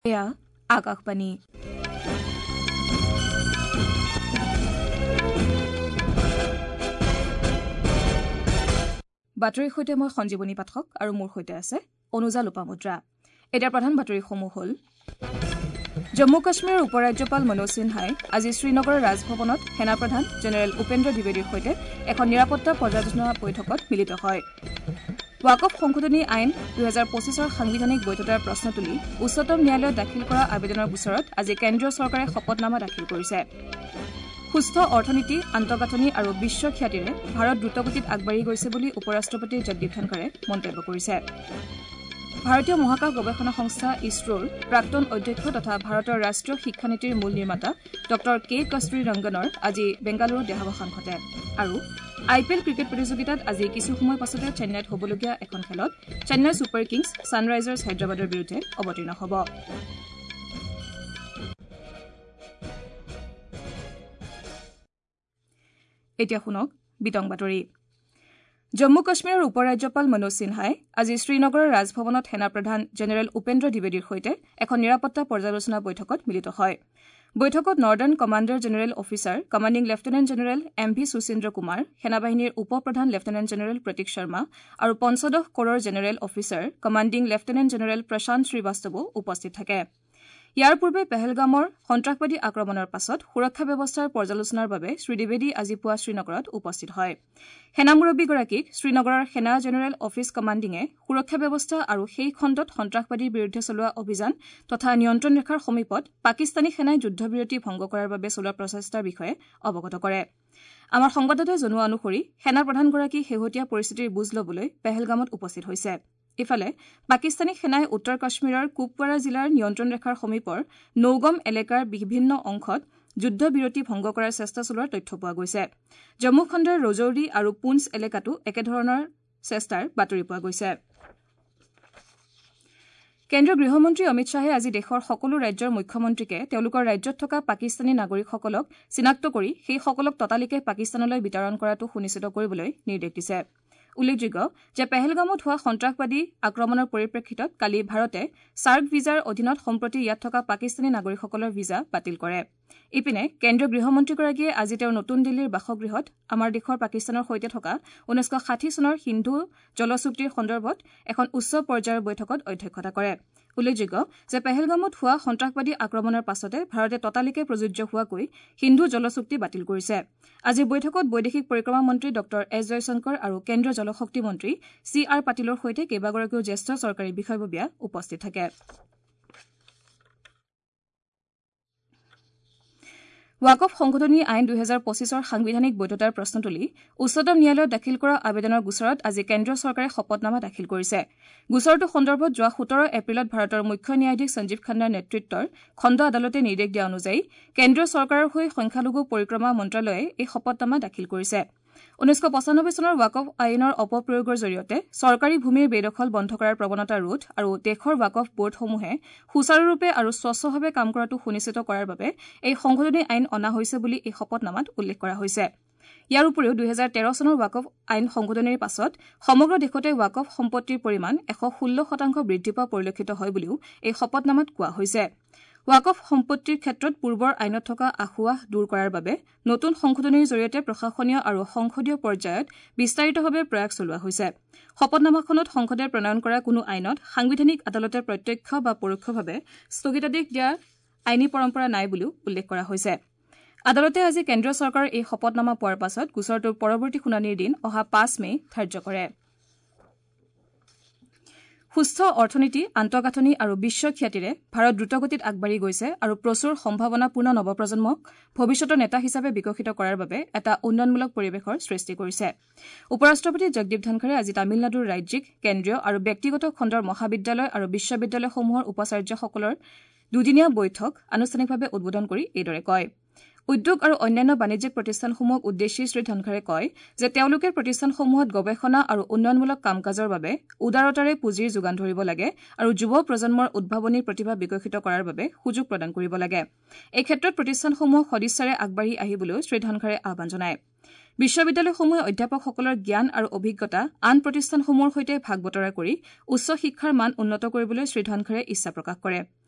এয়া আকাশবাণী। বাতৰিৰ সৈতে মই সঞ্জীৱনী পাঠক আৰু মোৰ সৈতে আছে অনুজা লোপামুদ্ৰা। এতিয়া প্ৰধান বাতৰিসমূহ হ'ল: জম্মু কাশ্মীৰৰ উপ ৰাজ্যপাল মনোজ সিনহাই আজি শ্ৰীনগৰৰ ৰাজভৱনত সেনাপ্ৰধান জেনেৰেল উপেন্দ্ৰ দ্বিবেদীৰ সৈতে এখন নিৰাপত্তা পৰ্যালোচনা বৈঠকত মিলিত হয়। ৱাকফ সংশোধনী আইন ২০২৫ৰ সাংবিধানিক বৈধতাৰ প্ৰশ্ন তুলি উচ্চতম ন্যায়ালয়ত দাখিল কৰা আবেদনৰ গোচৰত আজি কেন্দ্ৰীয় চৰকাৰে শপতনামা দাখিল কৰিছে। সুস্থ অৰ্থনীতি, আন্তঃগাঁথনি আৰু বিশ্ব খ্যাতিৰে ভাৰত দ্ৰুতগতিত আগবাঢ়ি গৈছে বুলি উপ ৰাষ্ট্ৰপতি জগদীপ ধনখৰে মন্তব্য কৰিছে। ভাৰতীয় মহাকাশ গৱেষণা সংস্থা ইছৰোৰ প্ৰাক্তন অধ্যক্ষ তথা ভাৰতৰ ৰাষ্ট্ৰীয় শিক্ষানীতিৰ মূল নিৰ্মাতা ডঃ কে কস্তুৰী ৰংগনৰ আজি বেংগালুৰুত দেহাৱসান ঘটে। আৰু আই পি এল ক্ৰিকেট প্ৰতিযোগিতাত আজি কিছু সময় পাছতে চেন্নাইত হ'বলগীয়া এখন খেলত চেন্নাই ছুপাৰ কিংছ ছানৰাইজাৰ্ছ হায়দৰাবাদৰ বিৰুদ্ধে অৱতীৰ্ণ হ'ব। এতিয়া শুনক বিতং বাতৰি। জম্মু কাশ্মীৰৰ উপ ৰাজ্যপাল মনোজ সিনহাই আজি শ্ৰীনগৰৰ ৰাজভৱনত সেনাপ্ৰধান জেনেৰেল উপেন্দ্ৰ দ্বিবেদীৰ সৈতে এখন নিৰাপত্তা পৰ্যালোচনা বৈঠকত মিলিত হয়। বৈঠকত northern commander general officer commanding lieutenant general M V Suchindra Kumar, সেনাবাহিনীৰ উপ প্ৰধান লেফটেনেণ্ট জেনেৰেল প্ৰতীক শৰ্মা আৰু পঞ্চদশ ক'ৰৰ general officer commanding lieutenant general Prashant শ্ৰীবাস্তৱো উপস্থিত থাকে। ইয়াৰ পূৰ্বে পেহেলগামৰ সন্ত্ৰাসবাদী আক্ৰমণৰ পাছত সুৰক্ষা ব্যৱস্থাৰ পৰ্যালোচনাৰ বাবে শ্ৰীদ্বিবেদী আজি পুৱা শ্ৰীনগৰত উপস্থিত হয়। সেনা মুৰব্বীগৰাকীক শ্ৰীনগৰৰ সেনা জেনেৰেল অফিচ কমাণ্ডিঙে সুৰক্ষা ব্যৱস্থা আৰু সেই খণ্ডত সন্ত্ৰাসবাদীৰ বিৰুদ্ধে চলোৱা অভিযান তথা নিয়ন্ত্ৰণ ৰেখাৰ সমীপত পাকিস্তানী সেনাই যুদ্ধবিৰতি ভংগ কৰাৰ বাবে চলোৱা প্ৰচেষ্টাৰ বিষয়ে অৱগত কৰে। আমাৰ সংবাদদাতাই জনোৱা অনুসৰি সেনা প্ৰধানগৰাকী শেহতীয়া পৰিস্থিতিৰ বুজ ল'বলৈ পেহেলগামত উপস্থিত হৈছে। ইফালে পাকিস্তানী সেনাই উত্তৰ কাশ্মীৰৰ কুপৱাৰা জিলাৰ নিয়ন্ত্ৰণ ৰেখাৰ সমীপৰ নৌগম এলেকাৰ বিভিন্ন অংশত যুদ্ধবিৰতি ভংগ কৰাৰ চেষ্টা চলোৱাৰ তথ্য পোৱা গৈছে। জম্মু খণ্ডৰ ৰজৌৰি আৰু পুঞ্চ এলেকাতো একেধৰণৰ চেষ্টাৰ বাতৰি পোৱা গৈছে। কেন্দ্ৰীয় গৃহমন্ত্ৰী অমিত শ্বাহে আজি দেশৰ সকলো ৰাজ্যৰ মুখ্যমন্ত্ৰীকে তেওঁলোকৰ ৰাজ্যত থকা পাকিস্তানী নাগৰিকসকলক চিনাক্ত কৰি সেইসকলক ততালিকে পাকিস্তানলৈ বিতৰণ কৰাটো সুনিশ্চিত কৰিবলৈ নিৰ্দেশ দিছে। উল্লেখযোগ্য যে পেহেলগামত হোৱা সন্ত্ৰাসবাদী আক্ৰমণৰ পৰিপ্ৰেক্ষিতত কালি ভাৰতে ছাৰ্ক ভিজাৰ অধীনত সম্প্ৰতি ইয়াত থকা পাকিস্তানী নাগৰিকসকলৰ ভিজা বাতিল কৰে। ইপিনে কেন্দ্ৰীয় গৃহমন্ত্ৰীগৰাকীয়ে আজি তেওঁৰ নতুন দিল্লীৰ বাসগৃহত আমাৰ দেশৰ পাকিস্তানৰ সৈতে থকা ১৯৬০ চনৰ সিন্ধু জল চুক্তিৰ সন্দৰ্ভত এখন উচ্চ পৰ্যায়ৰ বৈঠকত অধ্যক্ষতা কৰে। উল্লেখযোগ্য যে পেহেলগামত হোৱা সন্ত্ৰাসবাদী আক্ৰমণৰ পাছতে ভাৰতে ততালিকে প্ৰযোজ্য হোৱাকৈ সিন্ধু জল চুক্তি বাতিল কৰিছে। আজিৰ বৈঠকত বৈদেশিক পৰিক্ৰমা মন্ত্ৰী ডঃ এছ জয়শংকৰ আৰু কেন্দ্ৰীয় জলশক্তি মন্ত্ৰী চি আৰ পাটিলৰ সৈতে কেইবাগৰাকীও জ্যেষ্ঠ চৰকাৰী বিষয়ববীয়া উপস্থিত থাকে। ৱাকফ সংশোধনী আইন ২০২৫ৰ সাংবিধানিক বৈধতাৰ প্ৰশ্ন তুলি উচ্চতম ন্যায়ালয়ত দাখিল কৰা আবেদনৰ গোচৰত আজি কেন্দ্ৰীয় চৰকাৰে শপতনামা দাখিল কৰিছে। গোচৰটো সন্দৰ্ভত যোৱা ১৭ এপ্ৰিলত ভাৰতৰ মুখ্য ন্যায়াধীশ সঞ্জীৱ খান্নাৰ নেতৃত্বৰ খণ্ড আদালতে নিৰ্দেশ দিয়া অনুযায়ী কেন্দ্ৰীয় চৰকাৰৰ হৈ সংখ্যালঘু পৰিক্ৰমা মন্ত্ৰালয়ে এই শপতনামা দাখিল কৰিছে। ১৯৯৫ চনৰ ৱাকফ আইনৰ অপপ্ৰয়োগৰ জৰিয়তে চৰকাৰী ভূমিৰ বেদখল বন্ধ কৰাৰ প্ৰৱণতা ৰোধ আৰু দেশৰ ৱাকফ বৰ্ডসমূহে সুচাৰুৰূপে আৰু স্বচ্ছভাৱে কাম কৰাটো সুনিশ্চিত কৰাৰ বাবে এই সংশোধনী আইন অনা হৈছে বুলি এই শপতনামাত উল্লেখ কৰা হৈছে। ইয়াৰ উপৰিও ২০১৩ চনৰ ৱাকফ আইন সংশোধনীৰ পাছত সমগ্ৰ দেশতে ৱাকফ সম্পত্তিৰ পৰিমাণ ১১৬% বৃদ্ধি পোৱা পৰিলক্ষিত হয় বুলিও এই শপতনামাত কোৱা হৈছে। ৱাকফ সম্পত্তিৰ ক্ষেত্ৰত পূৰ্বৰ আইনত থকা আসোঁৱাহ দূৰ কৰাৰ বাবে নতুন সংশোধনীৰ জৰিয়তে প্ৰশাসনীয় আৰু সংসদীয় পৰ্যায়ত বিস্তাৰিতভাৱে প্ৰয়াস চলোৱা হৈছে। শপতনামাখনত সংসদে প্ৰণয়ন কৰা কোনো আইনত সাংবিধানিক আদালতে প্ৰত্যক্ষ বা পৰোক্ষভাৱে স্থগিতাদেশ দিয়াৰ আইনী পৰম্পৰা নাই বুলিও উল্লেখ কৰা হৈছে। আদালতে আজি কেন্দ্ৰীয় চৰকাৰৰ এই শপতনামা পোৱাৰ পাছত গোচৰটোৰ পৰৱৰ্তী শুনানিৰ দিন অহা ৫ মে ধাৰ্য কৰে। সুস্থ অৰ্থনীতি, আন্তঃগাঁথনি আৰু বিশ্ব খ্যাতিৰে ভাৰত দ্ৰুতগতিত আগবাঢ়ি গৈছে আৰু প্ৰচুৰ সম্ভাৱনাপূৰ্ণ নৱপ্ৰজন্মক ভৱিষ্যতৰ নেতা হিচাপে বিকশিত কৰাৰ বাবে এটা উন্নয়নমূলক পৰিৱেশৰ সৃষ্টি কৰিছে। উপ ৰাষ্ট্ৰপতি জগদীপ ধনখৰে আজি তামিলনাডুৰ ৰাজ্যিক, কেন্দ্ৰীয় আৰু ব্যক্তিগত খণ্ডৰ মহাবিদ্যালয় আৰু বিশ্ববিদ্যালয়সমূহৰ উপাচাৰ্যসকলৰ দুদিনীয়া বৈঠক আনুষ্ঠানিকভাৱে উদ্বোধন কৰি এইদৰে কয়। উদ্যোগ আৰু অন্যান্য বাণিজ্যিক প্ৰতিষ্ঠানসমূহক উদ্দেশ্যি শ্ৰীধনখৰে কয় যে তেওঁলোকে প্ৰতিষ্ঠানসমূহত গৱেষণা আৰু উন্নয়নমূলক কাম কাজৰ বাবে উদাৰতাৰে পুঁজিৰ যোগান ধৰিব লাগে আৰু যুৱ প্ৰজন্মৰ উদ্ভাৱনী প্ৰতিভা বিকশিত কৰাৰ বাবে সুযোগ প্ৰদান কৰিব লাগে। এই ক্ষেত্ৰত প্ৰতিষ্ঠানসমূহক সদিচ্ছাৰে আগবাঢ়ি আহিবলৈও শ্ৰীধনখৰে আহ্বান জনায়। বিশ্ববিদ্যালয়সমূহে অধ্যাপকসকলৰ জ্ঞান আৰু অভিজ্ঞতা আন প্ৰতিষ্ঠানসমূহৰ সৈতে ভাগ বতৰা কৰি উচ্চ শিক্ষাৰ মান উন্নত কৰিবলৈ শ্ৰীধনখৰে ইচ্ছা প্ৰকাশ কৰে।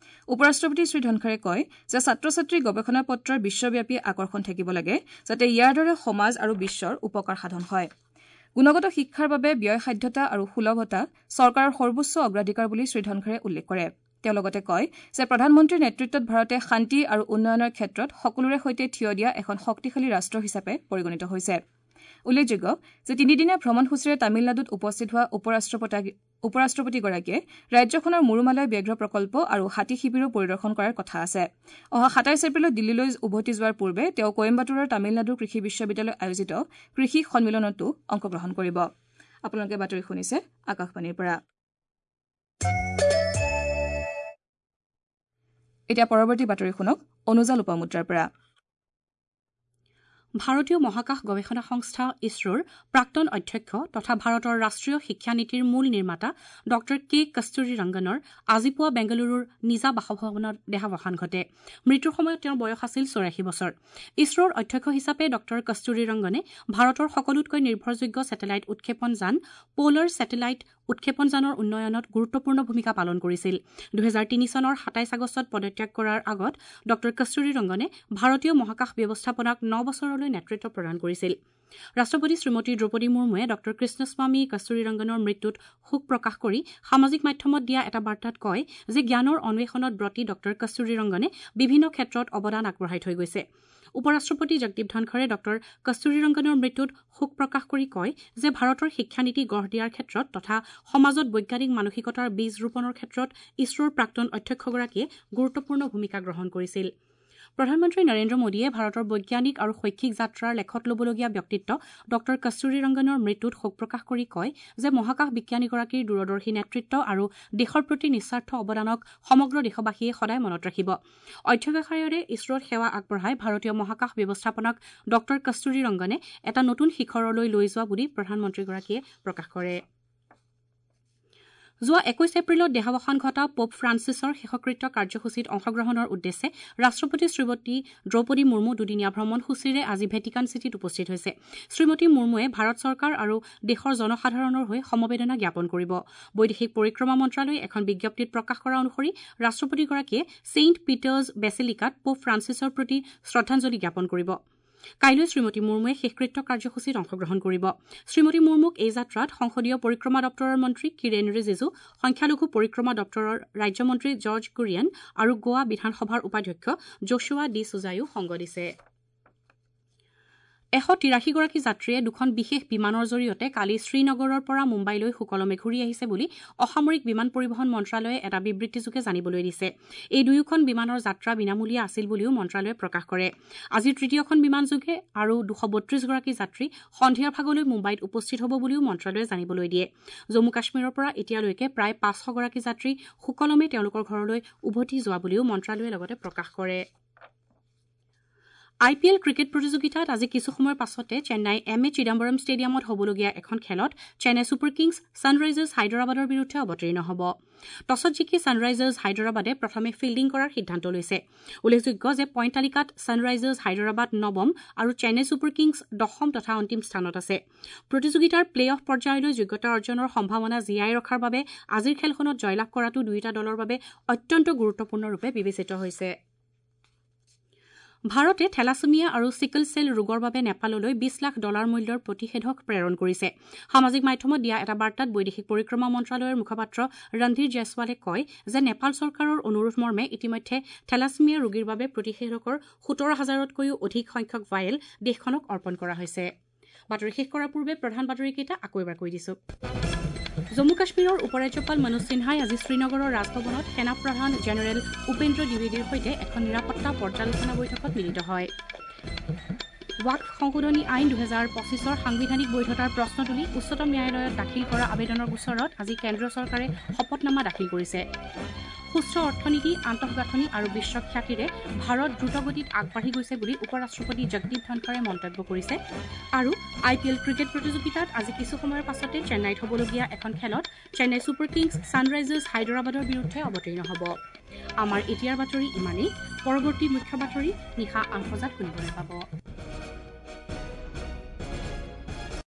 উপ-ৰাষ্ট্ৰপতি শ্ৰীধনখৰে কয় যে ছাত্ৰ ছাত্ৰীৰ গৱেষণা পত্ৰৰ বিশ্বব্যাপী আকৰ্ষণ থাকিব লাগে, যাতে ইয়াৰ দ্বাৰা সমাজ আৰু বিশ্বৰ উপকাৰ সাধন হয়। গুণগত শিক্ষাৰ বাবে ব্যয়সাধ্যতা আৰু সুলভতা চৰকাৰৰ সৰ্বোচ্চ অগ্ৰাধিকাৰ বুলি শ্ৰীধনখৰে উল্লেখ কৰে। তেওঁ লগতে কয় যে প্ৰধানমন্ত্ৰীৰ নেতৃত্বত ভাৰতে শান্তি আৰু উন্নয়নৰ ক্ষেত্ৰত সকলোৰে সৈতে থিয় দিয়া এখন শক্তিশালী ৰাষ্ট্ৰ হিচাপে পৰিগণিত হৈছে। উল্লেখযোগ্য যে তিনিদিনীয়া ভ্ৰমণসূচীৰে তামিলনাডুত উপস্থিত হোৱা উপ-ৰাষ্ট্ৰপতিগৰাকীয়ে ৰাজ্যখনৰ মুৰুমালয় ব্যাঘ্ৰ প্ৰকল্প আৰু হাতী শিবিৰো পৰিদৰ্শন কৰাৰ কথা আছে। অহা ২৭ এপ্ৰিলত দিল্লীলৈ উভতি যোৱাৰ পূৰ্বে তেওঁ কইম্বাটুৰৰ তামিলনাডু কৃষি বিশ্ববিদ্যালয়ত আয়োজিত কৃষি সন্মিলনতো অংশগ্ৰহণ কৰিব। আপোনালোকে বাতৰি শুনিছে আকাশবাণীৰ পৰা। এতিয়া পৰৱৰ্তী বাতৰি শুনক অনুজা লোপামুদ্ৰাৰ পৰা। ভাৰতীয় মহাকাশ গৱেষণা সংস্থা ইছৰোৰ প্ৰাক্তন অধ্যক্ষ তথা ভাৰতৰ ৰাষ্ট্ৰীয় শিক্ষানীতিৰ মূল নিৰ্মাতা ডঃ কে কস্তুৰী ৰংগনৰ আজি পুৱা বেংগালুৰুৰ নিজা বাসভৱনত দেহাৱসান ঘটে। মৃত্যুৰ সময়ত তেওঁৰ বয়স আছিল ৮৪ বছৰ। ইছৰোৰ অধ্যক্ষ হিচাপে ডঃ কস্তুৰী ৰংগনে ভাৰতৰ সকলোতকৈ নিৰ্ভৰযোগ্য ছেটেলাইট উৎক্ষেপণ যান প'লাৰ ছেটেলাইট উৎক্ষেপণ যানৰ উন্নয়নত গুৰুত্বপূৰ্ণ ভূমিকা পালন কৰিছিল। ২০০৩ চনৰ ২৭ আগষ্টত পদত্যাগ কৰাৰ আগত ডঃ কস্তুৰী ৰংগনে ভাৰতীয় মহাকাশ ব্যৱস্থাপনাক ৯ বছৰলৈ নেতৃত্ব প্ৰদান কৰিছিল। ৰাষ্ট্ৰপতি শ্ৰীমতী দ্ৰৌপদী মুৰ্মুৱে ডঃ কৃষ্ণস্বামী কস্তুৰী ৰংগনৰ মৃত্যুত শোক প্ৰকাশ কৰি সামাজিক মাধ্যমত দিয়া এটা বাৰ্তাত কয় যে জ্ঞানৰ অন্বেষণত ব্ৰতী ডঃ কস্তুৰী ৰংগনে বিভিন্ন ক্ষেত্ৰত অৱদান আগবঢ়াই থৈ গৈছে। উপ-ৰাষ্ট্ৰপতি জগদীপ ধনখৰে ডঃ কস্তুৰী ৰংগনৰ মৃত্যুত শোক প্ৰকাশ কৰি কয় যে ভাৰতৰ শিক্ষানীতি গঢ় দিয়াৰ ক্ষেত্ৰত তথা সমাজত বৈজ্ঞানিক মানসিকতাৰ বীজ ৰোপণৰ ক্ষেত্ৰত ইছৰোৰ প্ৰাক্তন অধ্যক্ষগৰাকীয়ে গুৰুত্বপূৰ্ণ ভূমিকা গ্ৰহণ কৰিছিল। প্ৰধানমন্ত্ৰী নৰেন্দ্ৰ মোদীয়ে ভাৰতৰ বৈজ্ঞানিক আৰু শৈক্ষিক যাত্ৰাৰ লেখত ল'বলগীয়া ব্যক্তিত্ব ডঃ কস্তুৰী ৰংগনৰ মৃত্যুত শোক প্ৰকাশ কৰি কয় যে মহাকাশ বিজ্ঞানীগৰাকীৰ দূৰদৰ্শী নেতৃত্ব আৰু দেশৰ প্ৰতি নিস্বাৰ্থ অৱদানক সমগ্ৰ দেশবাসীয়ে সদায় মনত ৰাখিব। অধ্যৱসায়েৰে ইছৰোত সেৱা আগবঢ়াই ভাৰতীয় মহাকাশ ব্যৱস্থাপনাক ডঃ কস্তুৰী ৰংগনে এটা নতুন শিখৰলৈ লৈ যোৱা বুলি প্ৰধানমন্ত্ৰীগৰাকীয়ে প্ৰকাশ কৰে। যোৱা ২১ এপ্ৰিলত দেহাৱসান ঘটা পোপ ফ্ৰান্সিছৰ শেষকৃত্য কাৰ্যসূচীত অংশগ্ৰহণৰ উদ্দেশ্যে ৰাষ্ট্ৰপতি শ্ৰীমতী দ্ৰৌপদী মুৰ্মু দুদিনীয়া ভ্ৰমণসূচীৰে আজি ভেটিকান চিটিত উপস্থিত হৈছে। শ্ৰীমতী মুৰ্মুৱে ভাৰত চৰকাৰ আৰু দেশৰ জনসাধাৰণৰ হৈ সমবেদনা জ্ঞাপন কৰিব। বৈদেশিক পৰিক্ৰমা মন্ত্ৰালয়ে এখন বিজ্ঞপ্তিত প্ৰকাশ কৰা অনুসৰি ৰাষ্ট্ৰপতিগৰাকীয়ে ছেইণ্ট পিটাৰ্ছ বেচিলিকাত পোপ ফ্ৰান্সিছৰ প্ৰতি শ্ৰদ্ধাঞ্জলি জ্ঞাপন কৰিব। কাইলৈ শ্ৰীমতী মুৰ্মুৱে শেষকৃত্য কাৰ্যসূচীত অংশগ্ৰহণ কৰিব। শ্ৰীমতী মুৰ্মুক এই যাত্ৰাত সংসদীয় পৰিক্ৰমা দপ্তৰৰ মন্ত্ৰী কিৰেণ ৰিজিজু, সংখ্যালঘু পৰিক্ৰমা দপ্তৰৰ ৰাজ্যমন্ত্ৰী জৰ্জ কুৰিয়ান আৰু গোৱা বিধানসভাৰ উপাধ্যক্ষ জোচুৱা ডি চুজায়ো সংগ দিছে। ১৮৩ গৰাকী যাত্ৰীয়ে দুখন বিশেষ বিমানৰ জৰিয়তে কালি শ্ৰীনগৰৰ পৰা মুম্বাইলৈ সুকলমে ঘূৰি আহিছে বুলি অসামৰিক বিমান পৰিবহণ মন্ত্ৰালয়ে এটা বিবৃতিযোগে জানিবলৈ দিছে। এই দুয়োখন বিমানৰ যাত্ৰা বিনামূলীয়া আছিল বুলিও মন্ত্ৰালয়ে প্ৰকাশ কৰে। আজি তৃতীয়খন বিমানযোগে আৰু ২৩২ গৰাকী যাত্ৰী সন্ধিয়াৰ ভাগলৈ মুম্বাইত উপস্থিত হ'ব বুলিও মন্ত্ৰালয়ে জানিবলৈ দিয়ে। জম্মু কাশ্মীৰৰ পৰা এতিয়ালৈকে প্ৰায় ৫০০ গৰাকী যাত্ৰী সুকলমে তেওঁলোকৰ ঘৰলৈ উভতি যোৱা বুলিও মন্ত্ৰালয়ে লগতে প্ৰকাশ কৰে। আই পি এল ক্ৰিকেট প্ৰতিযোগিতাত আজি কিছু সময়ৰ পাছতে চেন্নাই এম এ চিদাম্বৰম ষ্টেডিয়ামত হ'বলগীয়া এখন খেলত চেন্নাই ছুপাৰ কিংছ ছানৰাইজাৰ্ছ হায়দৰাবাদৰ বিৰুদ্ধে অৱতীৰ্ণ হ'ব। টছত জিকি ছানৰাইজাৰ্ছ হায়দৰাবাদে প্ৰথমে ফিল্ডিং কৰাৰ সিদ্ধান্ত লৈছে। উল্লেখযোগ্য যে পইণ্ট তালিকাত ছানৰাইজাৰ্ছ হায়দৰাবাদ নৱম আৰু চেন্নাই ছুপাৰ কিংছ দশম তথা অন্তিম স্থানত আছে। প্ৰতিযোগিতাৰ প্লে অফ পৰ্যায়লৈ যোগ্যতা অৰ্জনৰ সম্ভাৱনা জীয়াই ৰখাৰ বাবে আজিৰ খেলখনত জয়লাভ কৰাটো দুয়োটা দলৰ বাবে অত্যন্ত গুৰুত্বপূৰ্ণৰূপে বিবেচিত হৈছে। ভাৰতে থেলাছেমিয়া আৰু চিকল চেল ৰোগৰ বাবে নেপাললৈ ২০ লাখ ডলাৰ মূল্যৰ প্ৰতিষেধক প্ৰেৰণ কৰিছে। সামাজিক মাধ্যমত দিয়া এটা বাৰ্তাত বৈদেশিক পৰিক্ৰমা মন্ত্ৰালয়ৰ মুখপাত্ৰ ৰণধীৰ জয়ছোৱালে কয় যে নেপাল চৰকাৰৰ অনুৰোধ মৰ্মে ইতিমধ্যে থেলাছেমিয়া ৰোগীৰ বাবে প্ৰতিষেধকৰ ১৭ হাজাৰতকৈও অধিক সংখ্যক ভায়েল দেশখনক অৰ্পণ কৰা হৈছে। বাতৰি শেষ কৰাৰ পূৰ্বে প্ৰধান বাতৰিকেইটা আকৌ এবাৰ কৈ দিছো। জম্মু কাশ্মীৰৰ উপ ৰাজ্যপাল মনোজ সিনহাই আজি শ্ৰীনগৰৰ ৰাজভৱনত সেনা প্ৰধান জেনেৰেল উপেন্দ্ৰ দ্বিবেদীৰ সৈতে এখন নিৰাপত্তা পৰ্যালোচনা বৈঠকত মিলিত হয়। ৱাকফ সংশোধনী আইন ২০২৫ৰ সাংবিধানিক বৈধতাৰ প্ৰশ্ন তুলি উচ্চতম ন্যায়ালয়ত দাখিল কৰা আবেদনৰ গোচৰত আজি কেন্দ্ৰীয় চৰকাৰে শপতনামা দাখিল কৰিছে। সুস্থ অৰ্থনীতি, আন্তঃগাঁথনি আৰু বিশ্বখ্যাতিৰে ভাৰত দ্ৰুতগতিত আগবাঢ়ি গৈছে বুলি উপ ৰাষ্ট্ৰপতি জগদীপ ধনখৰে মন্তব্য কৰিছে। আৰু আই পি এল ক্ৰিকেট প্ৰতিযোগিতাত আজি কিছু সময়ৰ পাছতে চেন্নাইত হ'বলগীয়া এখন খেলত চেন্নাই ছুপাৰ কিংছ ছানৰাইজাৰ্ছ হায়দৰাবাদৰ বিৰুদ্ধে অৱতীৰ্ণ হ'ব। আমাৰ এতিয়াৰ বাতৰি ইমানেই। পৰৱৰ্তী মুখ্য বাতৰি নিশা ৮ বজাত শুনিবলৈ পাব।